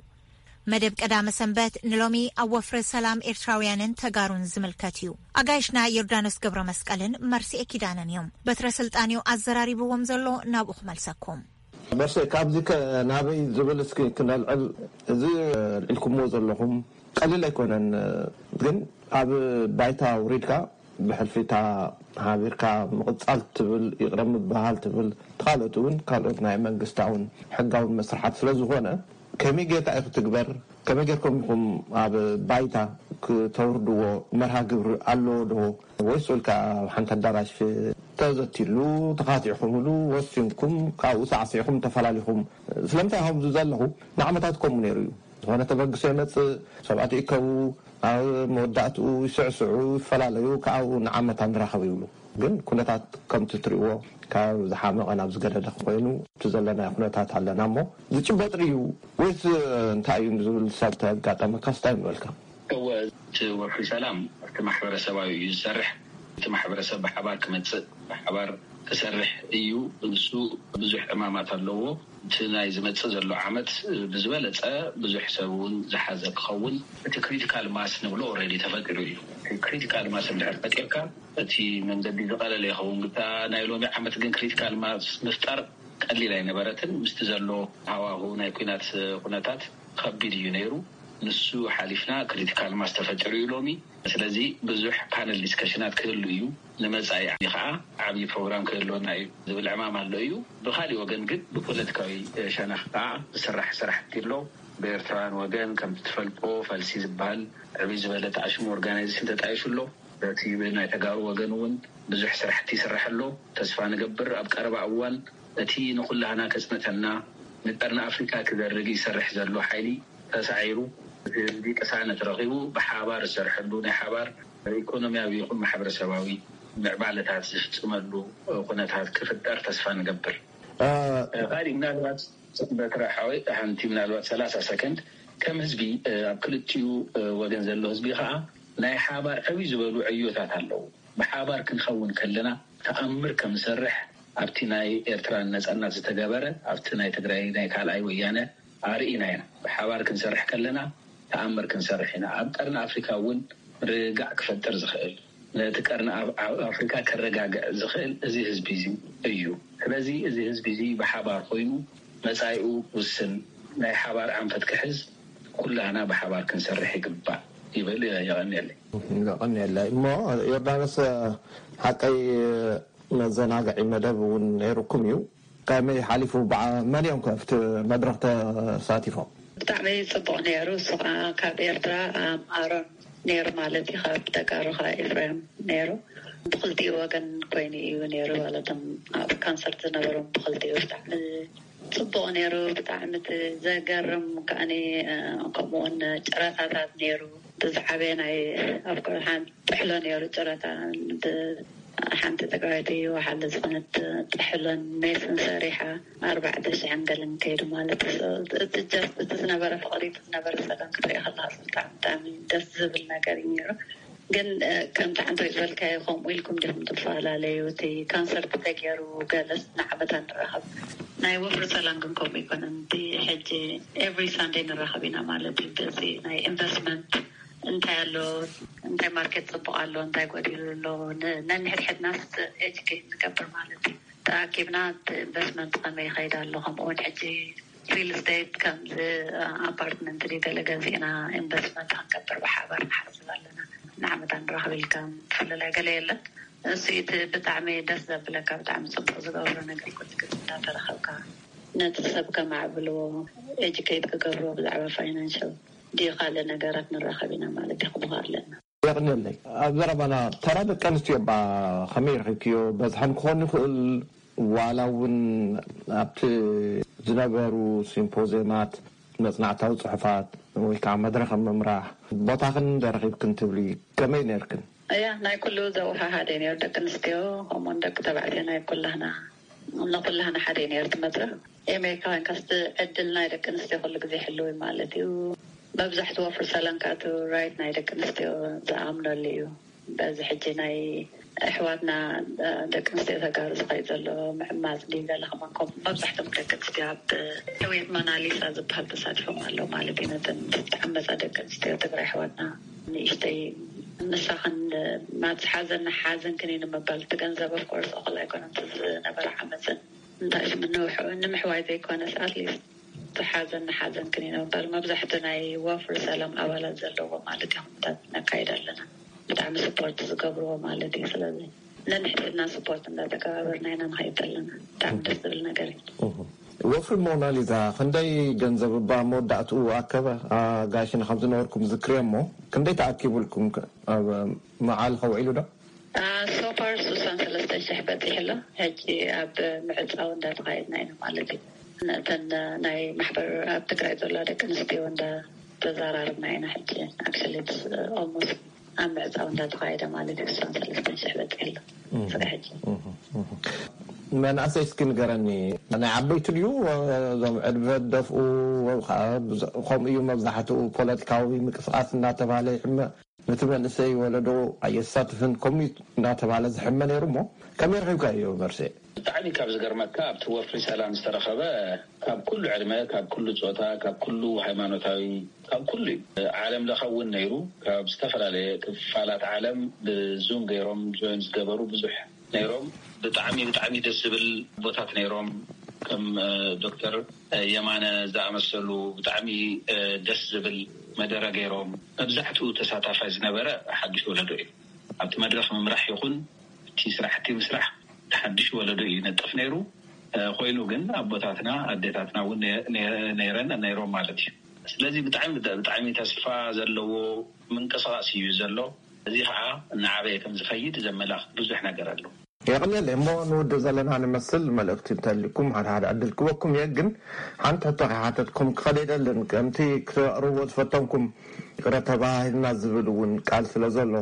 መደብ ቀዳመ ሰንበት ንሎሚ ኣብ ወፍሪ ሰላም ኤርትራውያንን ተጋሩን ዝምልከት እዩ። ኣጋይሽና ዮርዳኖስ ገብረ መስቀልን መርሲኤ ኪዳነን እዮም። በትረ ስልጣንዮ ኣዘራሪብዎም ዘሎ፣ ናብኡ ክመልሰኩም። መርሲኤ፣ ካብዚ ከ ናበይ ዝብል እስኪ ክነልዕል። እዚ ልዒልኩምዎ ዘለኹም ቀሊል ኣይኮነን፣ ግን ኣብ ባይታ ውሪድካ ብሕልፊታ ሓቢርካ ምቕጻል ትብል፣ ይቕረ ምብሃል ትብል፣ ተኻልኦት እውን ካልኦት ናይ መንግስታውን ሕጋውን መስርሓት ስለ ዝኾነ፣ ከመይ ጌርካ እዩ ክትግበር? ከመይ ጌርኩም ኢኹም ኣብ ባይታ ክተውርድዎ? መርሃ ግብሪ ኣለዎ ዶ? ወይስ ውልካ ኣብ ሓንቲ ኣዳራሽ ተዘቲሉ፣ ተኻቲዕኹምሉ፣ ወሲንኩም፣ ካብኡ ሳዕሲዕኹም ተፈላሊኹም? ስለምንታይ ከምዚ ዘለኹ ንዓመታት ከምኡ ነይሩ እዩ። ዝኾነ ተበግሶ ይመጽእ፣ ሰባት ይእከቡ፣ ኣብ መወዳእትኡ ይስዕስዑ፣ ይፈላለዩ፣ ካብኡ ንዓመታ ንራኸብ ይብሉ። ግን ኩነታት ከምቲ ትሪእዎ ካብ ዝሓመቐ ናብ ዝገደደ ኮይኑ እቲ ዘለናዮ ኩነታት ኣለና እሞ ዝጭበጥ ድዩ ወይስ እንታይ እዩ ዝብል ሰብ ተጋጠመካስ እንታይ ምበልካ? እወ፣ እቲ ወፍሪ ሰላም ኣብቲ ማሕበረሰባዊ እዩ ዝሰርሕ። እቲ ማሕበረሰብ ብሓባር ክመፅእ፣ ብሓባር ክሰርሕ እዩ። ንሱ ብዙሕ ዕማማት ኣለዎ። እቲ ናይ ዝመፅእ ዘሎ ዓመት ብዝበለፀ ብዙሕ ሰብ እውን ዝሓዘ ክኸውን፣ እቲ ክሪቲካል ማስ ንብሎ ኦልሬዲ ተፈጢሩ እዩ። እቲ ክሪቲካል ማስ እንድሕር ፈጢርካ፣ እቲ መንገዲ ዝቐለለ ይኸውን። ግታ ናይ ሎሚ ዓመት ግን ክሪቲካል ማስ ምፍጣር ቀሊል ኣይነበረትን። ምስቲ ዘሎ ሃዋሁ ናይ ኲናት ኩነታት ከቢድ እዩ ነይሩ። ንሱ ሓሊፍና ክሪቲካል ማስ ተፈጢሩ እዩ ሎሚ። ስለዚ ብዙሕ ፓነል ዲስከሽናት ክህሉ እዩ። ንመጻኢ ከዓ ዓብዪ ፕሮግራም ክህልወና እዩ ዝብል ዕማም ኣሎ እዩ። ብኻሊእ ወገን ግን ብፖለቲካዊ ሸነኽ ከዓ ዝስራሕ ስራሕቲ ኣሎ። ብኤርትራውያን ወገን ከምቲ ትፈልጦ ፈልሲ ዝበሃል ዕብይ ዝበለ ተኣሽሙ ኦርጋናይዜሽን ተጣይሹ ኣሎ። በቲ ብናይ ተጋሩ ወገን እውን ብዙሕ ስራሕቲ ይስራሕ ኣሎ። ተስፋ ንገብር ኣብ ቀረባ እዋን እቲ ንኹላህና ከጽንተና ንቀርኒ ኣፍሪካ ክዘርግ ይሰርሕ ዘሎ ሓይሊ ተሳዒሩ፣ እቲ ህዝቢ ቅሳነት ረኺቡ ብሓባር ዝሰርሐሉ ናይ ሓባር ኢኮኖሚያዊ ይኹን ማሕበረሰባዊ ምዕባለታት ዝፍፅመሉ ኩነታት ክፍጠር ተስፋ ንገብር። ካሊእ ምናልባት በትረ ሓወይ ሓንቲ ምናልባት ሰላሳ ሰከንድ ከም ህዝቢ ኣብ ክልቲኡ ወገን ዘሎ ህዝቢ ከዓ ናይ ሓባር ዕብይ ዝበሉ ዕዮታት ኣለዉ። ብሓባር ክንኸውን ከለና ተኣምር ከም ዝሰርሕ ኣብቲ ናይ ኤርትራ ነጻነት ዝተገበረ ኣብቲ ናይ ትግራይ ናይ ካልኣይ ወያነ ኣርኢና ኢና። ብሓባር ክንሰርሕ ከለና ተኣምር ክንሰርሕ ኢና። ኣብ ቀርኒ ኣፍሪካ እውን ርግጋዕ ክፈጥር ዝኽእል ነቲ ቀርኒ ኣፍሪካ ከረጋግዕ ዝኽእል እዚ ህዝቢ እዚ እዩ። ስለዚ እዚ ህዝቢ እዚ ብሓባር ኮይኑ መጻኢኡ ውስን ናይ ሓባር ኣንፈት ክሕዝ ኩላህና ብሓባር ክንሰርሕ ይግባእ ይብል። የቐንየለይ። የቐንየለይ። እሞ ዮርዳኖስ ሓቀይ መዘናግዒ መደብ እውን ነይሩኩም እዩ። ከመይ ሓሊፉ? መን እዮም ከ ኣብቲ መድረኽ ተሳቲፎም? ብጣዕሚ ፅቡቕ ነይሩ። እሱ ከዓ ካብ ኤርትራ ኣሮን ነይሩ ማለት እዩ። ካብ ተጋሩ ከዓ ኤፍሬም ነይሩ። ብክልቲኡ ወገን ኮይኑ እዩ ነይሩ። ማለቶም ኣብ ካንሰርት ዝነበሮም ብክልቲኡ ብጣዕሚ ፅቡቕ ነይሩ። ብጣዕሚ እቲ ዘገርም ከዓኒ ከምኡውን ጨረታታት ነይሩ። እቲ ዝዓበየ ናይ ኣብ ሓንቲ ጥሕሎ ነይሩ ጨረታ። ሓንቲ ትግራወይቲ ወሓለ ዝኾነት ጥሕሎን ሜስን ሰሪሓ ኣርባዕተ ሽሕን ገለን ከይዱ ማለት እዩ። እቲ ጀስት እቲ ዝነበረ ፍቕሪ፣ እቲ ዝነበረ ሰላም ክትሪኦ ከለካ ብጣዕሚ ብጣዕሚ ደስ ዝብል ነገር እዩ ነይሩ። ግን ከምቲ ሓንቲ ዝበልካዮ ከምኡ ኢልኩም ዲኹም ትፈላለዩ? እቲ ካንሰርት ተገይሩ ገለስ ንዓመታ ንራኸብ ናይ ወፍሪ ሰላም ግን ከምኡ ኣይኮነን። እቲ ሕጂ every Sunday ንራኸብ ኢና ማለት እዩ። በዚ ናይ ኢንቨስትመንት እንታይ ኣሎ፣ እንታይ ማርኬት ጽቡቕ ኣሎ፣ እንታይ ጎዲሉ ኣሎ፣ ን- ነንሕድሕድናስ ኤጁኬት ንገብር ማለት እዩ። ተኣኪብና እቲ ኢንቨስትመንት ከመይ ይኸይድ ኣሎ፣ ከምኡ እውን ሕጂ ሪል ስቴት ከምዚ ኣፓርትመንት ድዩ ገለ ገዚእና ኢንቨስትመንት ክንገብር ብሓባር ንሓስብ ኣለና። ንዓመታ ንራኸብ ኢልካ ፍልላይ ገለ የለን። እሱ እቲ ብጣዕሚ ደስ ዘብለካ፣ ብጣዕሚ ጽቡቕ ዝገብሮ ነገር ኩሉ ግዜ እንዳተራኸብካ ነቲ ሰብ ከማዕብልዎ፣ ኤጁኬት ክገብርዎ ብዛዕባ ፋይናንሻል ድዩ ካልእ ነገራት ንራኸብ ኢና ማለት የኽብኻ ኣለና። የቕንየለይ። ኣብ ዘረባና ተራ ደቂ ኣንስትዮ ባ ከመይ ረኺብክዮ? በዝሐን ክኾን ይኽእል፣ ዋላ እውን ኣብቲ ዝነበሩ ሲምፖዚየማት፣ መጽናዕታዊ ጽሑፋት ወይ ከዓ መድረኽ ኣብ ምምራሕ ቦታኽን እንደ ረኺብክን ትብሊ፣ ከመይ ነርክን? እያ፣ ናይ ኩሉ ዘወሃሃደ ነይሩ። ደቂ ኣንስትዮ ከምኡውን ደቂ ተባዕትዮ ናይ ኩላህና፣ ንኩላህና ሓደ ነይሩ እቲ መድረኽ። ኣሜሪካ ኮይንካስ እቲ ዕድል ናይ ደቂ ኣንስትዮ ኩሉ ግዜ ሕልው እዩ ማለት እዩ። መብዛሕትኡ ፍርሰላን ከኣቱ ራይት ናይ ደቂ ኣንስትዮ ዝኣምነሉ እዩ። በዚ ሕጂ ናይ ኣሕዋትና፣ እ፣ ደቂ ኣንስትዮ ተጋሩ ዝኸይድ ዘሎ ምዕማፅ ድዩ ገለ ከማን፣ ከም መብዛሕትኦም ደቂ ኣንስትዮ ኣብ ሕውየት ሞናሊሳ ዝበሃል ተሳቲፎም ኣለዉ ማለት እዩ። ነተን ዝተዓመፃ ደቂ ኣንስትዮ ትግራይ ኣሕዋትና ንእሽተይ ንሳኽን ማትስ ሓዘን ሓዘንክን እዩ ንምባል፣ እቲ ገንዘብ ኦፍኮርስ እኹል ኣይኮነን፣ እቲ ዝነበረ ዓመፅን እንታይ ሽም ንምሕዋይ ዘይኮነስ ኣትሊስት ሓዘን ንሓዘን ክንነበር መብዛሕቲ ናይ ወፍሪ ሰላም ኣባላት ዘለዎ ማለት እዩ። ኩነታት ነካይድ ኣለና። ብጣዕሚ ስፖርት ዝገብርዎ ማለት እዩ። ስለዚ ነንሕድሕድና ስፖርት እንዳተከባበርና ኢና ንኸይድ ዘለና። ብጣዕሚ ደስ ዝብል ነገር እዩ። ወፍሪ ሞናሊዛ ክንደይ ገንዘብ እባ መወዳእትኡ ኣከበ? ኣጋይሽን ከም ዝነበርኩም ዝክርየ እሞ ክንደይ ተኣኪቡልኩም? ኣብ መዓል ከውዒሉ ዶ? ሶፋር ስሳን ሰለስተን ሽሕ በፂሑ ኣሎ። ሕጂ ኣብ ምዕፃው እንዳተኻየድና ኢና ማለት እዩ። ነተን ናይ ማሕበር ኣብ ትግራይ ዘሎ ደቂ ኣንስትዮ እንዳተዘራረብና ኢና። ሕጂ ኣክቹሊ ኦልሞስት ኣብ ምዕፃው እንዳተኻየደ ማለት እዩ። ስሳን ሰለስተን ሽሕ በፂሑ ኣሎ። ስጋ ሕጂ መናእሰይ እስኪ ንገረኒ፣ ናይ ዓበይቲ ድዩ? እዞም ዕድመ ደፍኡ ከምኡ እዩ። መብዛሕትኡ ፖለቲካዊ ምቅስቃስ እናተባለ ይሕመ፣ ነቲ መንእሰይ ወለዶ ኣየሳትፍን ከምኡ እናተባለ ዝሕመ ነይሩ እሞ ከመይ ረኺብካዮ መርሴ? ብጣዕሚ ካብ ዝገርመካ፣ ኣብቲ ወፍሪ ሰላም ዝተረኸበ ካብ ኩሉ ዕድመ፣ ካብ ኩሉ ፆታ፣ ካብ ኩሉ ሃይማኖታዊ፣ ካብ ኩሉ እዩ። ዓለም ለኸ እውን ነይሩ። ካብ ዝተፈላለየ ክፋላት ዓለም ብዙም ገይሮም ጆይን ዝገበሩ ብዙሕ ነይሮም። ብጣዕሚ ብጣዕሚ ደስ ዝብል ቦታት ነይሮም። ከም ዶክተር የማነ ዝኣመሰሉ ብጣዕሚ ደስ ዝብል መደረ ገይሮም። መብዛሕትኡ ተሳታፋይ ዝነበረ ሓዱሽ ወለዶ እዩ። ኣብቲ መድረኽ ምምራሕ ይኹን እቲ ስራሕቲ ምስራሕ ሓዱሽ ወለዶ እዩ ይነጥፍ ነይሩ። ኮይኑ ግን ኣቦታትና ኣዴታትና እውን ነይረን ነይሮም ማለት እዩ። ስለዚ ብጣዕሚ ብጣዕሚ ተስፋ ዘለዎ ምንቅስቃስ እዩ ዘሎ። እዚ ከዓ እናዓበየ ከም ዝኸይድ ዘመላኽት ብዙሕ ነገር ኣሎ። የቕንየለይ እሞ ንውድእ ዘለና ንመስል መልእኽቲ እንተልኩም ሓደ ሓደ ዕድል ክበኩም እየ። ግን ሓንቲ ሕቶ ከይሓተትኩም ክኸደ ኣይደልን። ከምቲ ክተቕርብዎ ዝፈተንኩም ይቕረ ተባሂልና ዝብል እውን ቃል ስለ ዘሎ፣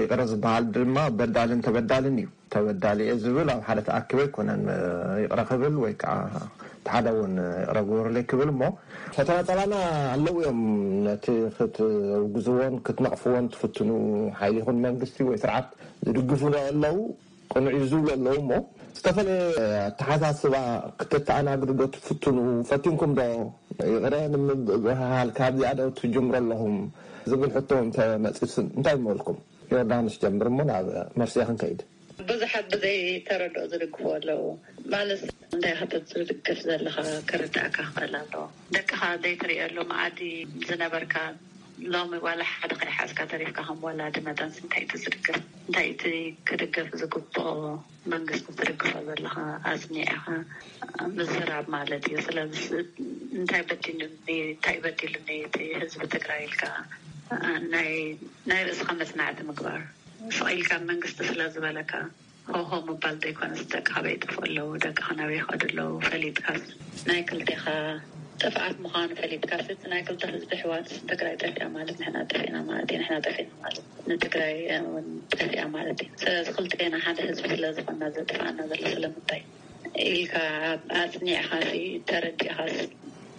ይቕረ ዝበሃል ድማ በዳልን ተበዳልን እዩ። ተበዳሊ እየ ዝብል ኣብ ሓደ ተኣኪበ ኣይኮነን ይቕረ ክብል ወይ ከዓ እቲ ሓደ እውን ይቕረ ግበሩለይ ክብል እሞ ፈተና ጸላና ኣለዉ እዮም። ነቲ ክትውግዝዎን ክትነቕፍዎን ትፍትኑ ሓይሊ ይኹን መንግስቲ ወይ ስርዓት ዝድግፉ ዶ ኣለዉ? ቅኑዕ እዩ ዝብሉ ኣለዉ እሞ ዝተፈለየ ኣተሓሳስባ ክተተኣናግዱ ዶ ትፍትኑ? ፈቲንኩም ዶ ይቕረ ንምብህሃል ካብዚኣ ዶ ትጅምሩ ኣለኹም ዝብል ሕቶ እንተመፂሱ እንታይ ይመልኩም? ዮርዳኖስ ጀምር እሞ ናብ መርስያ ክንከይድ። ብዙሓት ብዘይ ተረድኦ ዝድግፉ ኣለዉ። ማለት እንታይ ክትብል ዝድግፍ ዘለኻ ክርዳእካ ክኽእል ኣለዎ። ደቅኻ ዘይትርእየሉ መኣዲ ዝነበርካ ሎሚ ዋላ ሓደ ከይሓዝካ ተሪፍካ ከም ወላዲ መጠንስ እንታይ እቲ ዝድግፍ እንታይ እቲ ክድገፍ ዝግብኦ መንግስቲ ትድግፎ ዘለኻ ኣጽኒዕኻ ምዝራብ ማለት እዩ። ስለዚ እንታይ በዲሉኒ እንታይ በዲሉኒ እቲ ህዝቢ ትግራይ ኢልካ ናይ ናይ ርእስኻ መጽናዕቲ ምግባር ስቕ ኢልካ መንግስቲ ስለ ዝበለካ ሆሆ ምባል ዘይኮነስ ደቅኻ በይ ጠፍኡ ኣለዉ ደቅኻ ናበይ ይኸዱ ኣለዉ ፈሊጥካስ ናይ ክልቴኻ ጥፍኣት ምዃኑ ፈሊጥካስ እቲ ናይ ክልተ ህዝቢ ኣሕዋት ትግራይ ጠፊኣ ማለት ንሕና ጠፊእና ማለት እዩ ንሕና ጠፊእና ማለት ንትግራይ እውን ጠፊኣ ማለት እዩ ስለዚ ክልቴና ሓደ ህዝቢ ስለ ዝኾንና ዘጥፍኣና ዘሎ ስለምንታይ ኢልካ ኣፅኒዕኻሲ ተረዲእኻስ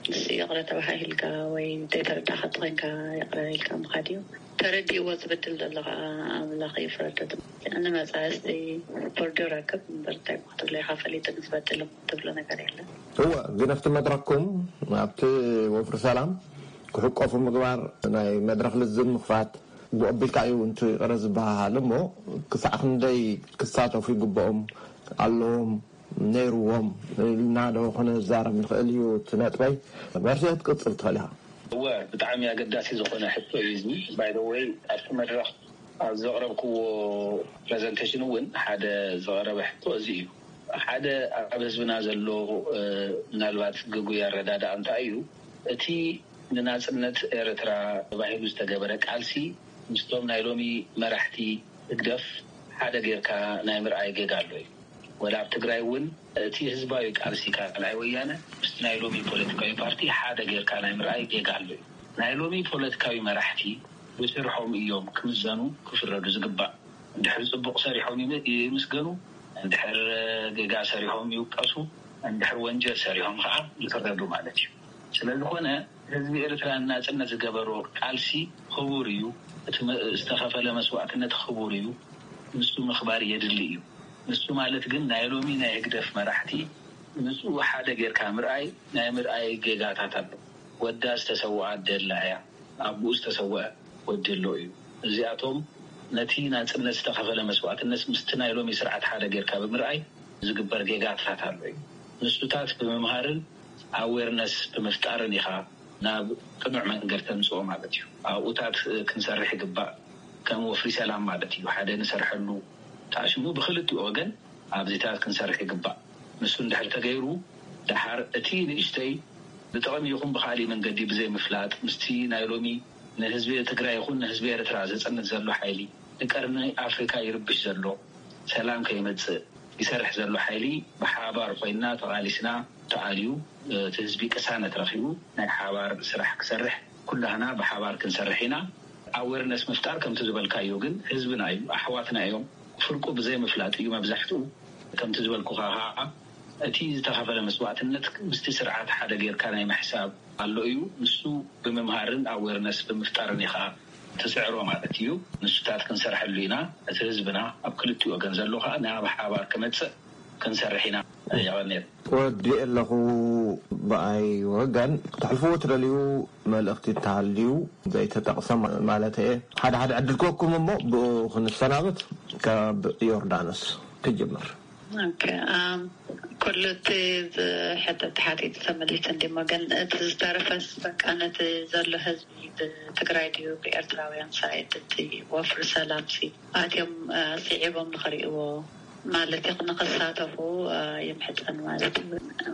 ንሱ ይቕረ ተባሃሂልካ ወይ ዘይተረዳእኻ ተኾይንካ ይቕረ ኢልካ ምኻድ እዩ። ተረዲእዎ ዝብድል ዘሎ ከዓ ኣምላኽ ይፍረዶ። ንመፃእስ ቦርዶ ረክብ እምበር እንታይ ክትብሎ ኢኻ ፈሊጡ ንዝበድል ትብሎ ነገር የለን። እወ፣ ግን ኣብቲ መድረኽኩም ኣብቲ ወፍሪ ሰላም ክሕቆፉ ምግባር ናይ መድረኽ ልዝብ ምኽፋት ብቐቢልካ እዩ እንቱ ይቕረ ዝበሃሃል እሞ ክሳዕ ክንደይ ክሳተፉ ይግብኦም ኣለዎም ነይርዎም ኢልና ዶ ክንዛረብ ንኽእል እዩ? እቲ ነጥበይ መርሲ ክትቅጽል ትኽእል ኢኻ። እወ፣ ብጣዕሚ ኣገዳሲ ዝኾነ ሕቶ እዩ እዚ። ባይደወይ ኣብቲ መድረኽ ኣብ ዘቕረብክዎ ፕረዘንቴሽን እውን ሓደ ዝቐረበ ሕቶ እዚ እዩ። ሓደ ኣብ ህዝብና ዘሎ ምናልባት ግጉይ ኣረዳድኣ እንታይ እዩ? እቲ ንናፅነት ኤርትራ ተባሂሉ ዝተገበረ ቃልሲ ምስቶም ናይ ሎሚ መራሕቲ ህግደፍ ሓደ ጌርካ ናይ ምርኣይ ጌጋ ኣሎ እዩ። ወላ ኣብ ትግራይ እውን እቲ ህዝባዊ ቃልሲ ካልኣይ ወያነ ምስቲ ናይ ሎሚ ፖለቲካዊ ፓርቲ ሓደ ጌርካ ናይ ምርኣይ ጌጋ ኣሎ እዩ። ናይ ሎሚ ፖለቲካዊ መራሕቲ ብስርሖም እዮም ክምዘኑ ክፍረዱ ዝግባእ። እንድሕር ፅቡቕ ሰሪሖም ይምስገኑ፣ እንድሕር ጌጋ ሰሪሖም ይውቀሱ፣ እንድሕር ወንጀል ሰሪሖም ከዓ ይፍረዱ ማለት እዩ። ስለዝኾነ ህዝቢ ኤርትራ ናፅነት ዝገበሮ ቃልሲ ክቡር እዩ። እቲ ዝተኸፈለ መስዋእትነት ክቡር እዩ። ንሱ ምኽባር የድሊ እዩ። ንሱ ማለት ግን ናይ ሎሚ ናይ ህግደፍ መራሕቲ ንሱ ሓደ ጌርካ ምርኣይ ናይ ምርኣይ ጌጋታት ኣሎ። ወዳ ዝተሰውኣ ደላ እያ፣ ኣቡኡ ዝተሰውአ ወዲ ኣሎ እዩ። እዚኣቶም ነቲ ናፅነት ዝተኸፈለ መስዋእትነት ምስቲ ናይ ሎሚ ስርዓት ሓደ ጌርካ ብምርኣይ ዝግበር ጌጋታት ኣሎ እዩ። ንሱታት ብምምሃርን ኣዌርነስ ብምፍጣርን ኢኻ ናብ ቅኑዕ መንገድ ተምፅኦ ማለት እዩ። ኣብኡታት ክንሰርሕ ይግባእ። ከም ወፍሪ ሰላም ማለት እዩ። ሓደ ንሰርሐሉ ተኣሽሙ ብክልቲኡ ወገን ኣብዚታት ክንሰርሕ ይግባእ። ንሱ እንድሕር ተገይሩ ደሓር እቲ ንእሽተይ ብጥቕሚ ይኹን ብካሊእ መንገዲ ብዘይምፍላጥ ምስቲ ናይ ሎሚ ንህዝቢ ትግራይ ይኹን ንህዝቢ ኤርትራ ዘፅንት ዘሎ ሓይሊ ንቀርኒ ኣፍሪካ ይርብሽ ዘሎ ሰላም ከይመፅእ ይሰርሕ ዘሎ ሓይሊ ብሓባር ኮይና ተቓሊስና ተኣልዩ እቲ ህዝቢ ቅሳነት ረኺቡ ናይ ሓባር ስራሕ ክሰርሕ ኩላህና ብሓባር ክንሰርሕ ኢና። ኣዌርነስ ምፍጣር ከምቲ ዝበልካዮ ግን ህዝብና እዩ፣ ኣሕዋትና እዮም። ፍርቁ ብዘይምፍላጥ እዩ መብዛሕትኡ። ከምቲ ዝበልኩኻ ከዓ እቲ ዝተኸፈለ መስዋእትነት ምስቲ ስርዓት ሓደ ጌርካ ናይ ምሕሳብ ኣሎ እዩ። ንሱ ብምምሃርን ኣዌርነስ ብምፍጣርን ኢኻ ትስዕሮ ማለት እዩ። ንሱታት ክንሰርሐሉ ኢና። እቲ ህዝብና ኣብ ክልቲኡ ወገን ዘሎ ከዓ ናብ ሓባር ክመፅእ ክንሰርሕ ኢና። የቐንየል። ወዲእ ኣለኹ። ብኣይ ወገን ክትሕልፍዎ ትደልዩ መልእኽቲ እንተሃልዩ ዘይተጠቕሰ ማ- ማለት እየ። ሓደ ሓደ ዕድል ክወኩም እሞ ብኡ ክንሰናበት ካብ ዮርዳኖስ ክጅምር። ኦኬ፣ ኣም፣ ኩሉ እቲ ዝሕተት ተሓቲቱ ተመሊሱ እንዲሞ፣ ግን እቲ ዝተረፈስ በቃ ነቲ ዘሎ ህዝቢ ብትግራይ ድዩ ብኤርትራውያን ሳይድ እቲ ወፍሪ ሰላም ሲ ኣትዮም እ፣ ስዒቦም ንኽርእይዎ ማለት እዩ ንኽሳተፉ እ፣ ይምሕጸን ማለት እዩ።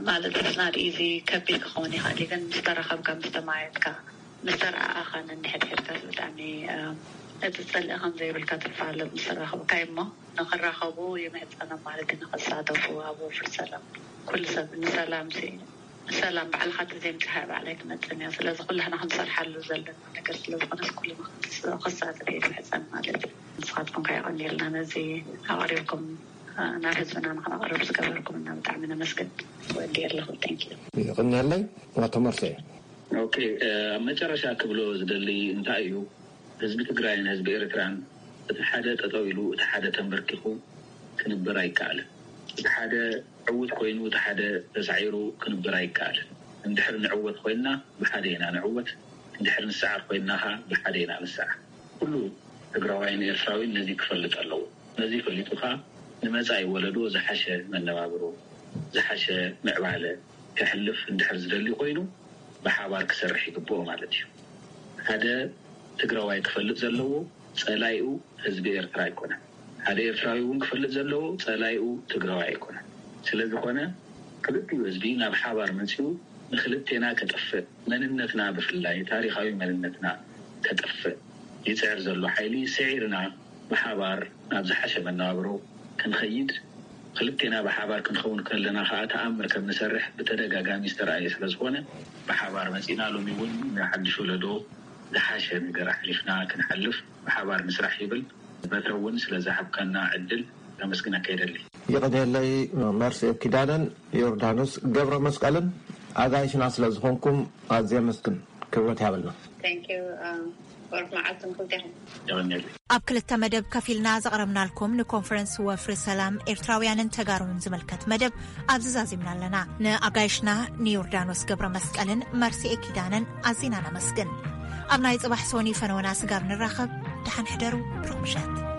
ማለት ስናድ ኢዚ ከቢድ ክኸውን ይኽእል እዩ፣ ግን ምስ ተራኸብካ ምስ ተማየጥካ ምስ ተረኣኣኻን እንድሕድሕድካስ ብጣዕሚ እቲ ጸልኢ ከም ዘይብልካ ትፋለጥ ምስ ተራኸብካ እሞ ንኽራኸቡ ይምሕጸኖም ማለት እዩ። ንኽሳተፉ ኣብ ወፍሪ ሰላም ኩሉ ሰብ ንሰላም ሲ ንሰላም ባዕልኻ ተዘይምጽሓ ባዕላይ ትመጽን እያ። ስለዚ ኩላህና ክንሰርሓሉ ዘለና ነገር ስለዝኾነስ ኩልና ክንስ- ክሳተፍ እየ ዝምሕጸን ማለት እዩ። ንስኻትኩም ከ የቐንየልና ነዚ ኣቕሪብኩም ናብ ህዝብና ንክነቕርብ ዝገበርኩም እና ብጣዕሚ ነመስግን። ወዲ ኣለኹ። Thank you። ይቕንየለይ። ኣቶ መርሴ። ኦኬ፣ ኣብ መጨረሻ ክብሎ ዝደሊ እንታይ እዩ፣ ህዝቢ ትግራይን ህዝቢ ኤርትራን እቲ ሓደ ጠጠው ኢሉ እቲ ሓደ ተንበርኪኹ ክንበር ኣይከኣልን። እቲ ሓደ ዕውት ኮይኑ እቲ ሓደ ተሳዒሩ ክንበር ኣይከኣልን። እንድሕር ንዕወት ኮይንና ብሓደ ኢና ንዕወት፣ እንድሕር ንሰዓር ኮይንና ኸዓ ብሓደ ኢና ንሰዓር። ኩሉ ትግራዋይን ኤርትራዊን ነዚ ክፈልጥ ኣለዎ። ነዚ ፈሊጡ ኸዓ ንመጻኢ ወለዶ ዝሓሸ መነባብሮ፣ ዝሓሸ ምዕባለ ከሕልፍ እንድሕር ዝደሊ ኮይኑ ብሓባር ክሰርሕ ይግብኦ ማለት እዩ። ሓደ ትግራዋይ ክፈልጥ ዘለዎ ጸላኢኡ ህዝቢ ኤርትራ ኣይኮነን። ሓደ ኤርትራዊ እውን ክፈልጥ ዘለዎ ጸላኢኡ ትግራዋይ ኣይኮነን። ስለዝኾነ ክልቲኡ ህዝቢ ናብ ሓባር መጺኡ ንክልቴና ከጥፍእ፣ መንነትና ብፍላይ ታሪኻዊ መንነትና ከጥፍእ ይጽዕር ዘሎ ሓይሊ ስዒርና ብሓባር ናብ ዝሓሸ መነባብሮ ክንኸይድ፣ ክልቴና ብሓባር ክንኸውን ከለና ከኣ ተኣምር ከም ንሰርሕ ብተደጋጋሚ ዝተረኣየ ስለዝኾነ ብሓባር መጺና ሎሚ እውን ንሓድሽ ወለዶ ዝሓሸ ነገር ኣሕሊፍና ክንሓልፍ ብሓባር ንስራሕ ይብል። በትረ እውን ስለ ዝሃብካና ዕድል ከመስግነካ ይደሊ። ይቕንየለይ። መርሲ ኪዳነን ዮርዳኖስ ገብረ መስቀልን ኣጋይሽና ስለ ዝኾንኩም ኣዝየ መስግን። ክብረት ያብልና። Thank you. ኣብ ክልተ መደብ ከፊልና ዘቕረብናልኩም ንኮንፈረንስ ወፍሪ ሰላም ኤርትራውያንን ተጋሩን ዝምልከት መደብ ኣብዚ ዛዚምና ኣለና። ንኣጋይሽና ንዮርዳኖስ ገብረ መስቀልን መርሲኤ ኪዳነን ኣዚና ነመስግን። ኣብ ናይ ጽባሕ ሶኒ ፈነወና ስጋብ ንራኸብ፣ ደሓን ሕደሩ። ብሩኽ ምሸት።